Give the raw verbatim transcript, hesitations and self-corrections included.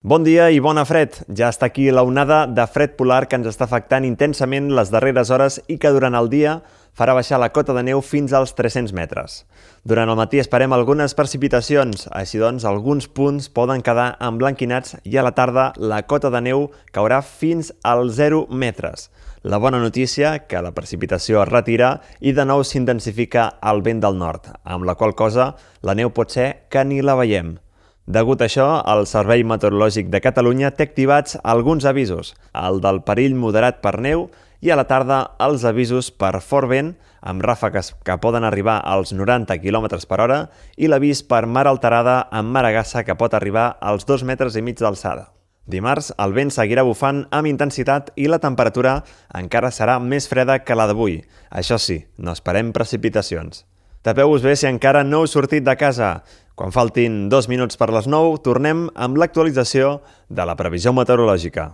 Bon dia i bona fred. Ja està aquí la onada de fred polar que ens està afectant intensament les darreres hores i que durant el dia farà baixar la cota de neu fins als tres-cents metres. Durant el matí esperem algunes precipitacions, així doncs alguns punts poden quedar emblanquinats i a la tarda la cota de neu caurà fins als zero metres. La bona notícia, que la precipitació es retira i de nou s'intensifica el vent del nord, amb la qual cosa la neu pot ser que ni la veiem. Degut a això, el Servei Meteorològic de Catalunya té activats alguns avisos, el del perill moderat per neu i a la tarda els avisos per fort vent, amb ràfegues que poden arribar als noranta quilòmetres per hora i l'avís per mar alterada amb maragassa que pot arribar als dos metres i mig d'alçada. Dimarts, el vent seguirà bufant amb intensitat i la temperatura encara serà més freda que la d'avui. Això sí, no esperem precipitacions. Tapeu-vos bé si encara no heu sortit de casa. Quan faltin dos minuts per les nou, tornem amb l'actualització de la previsió meteorològica.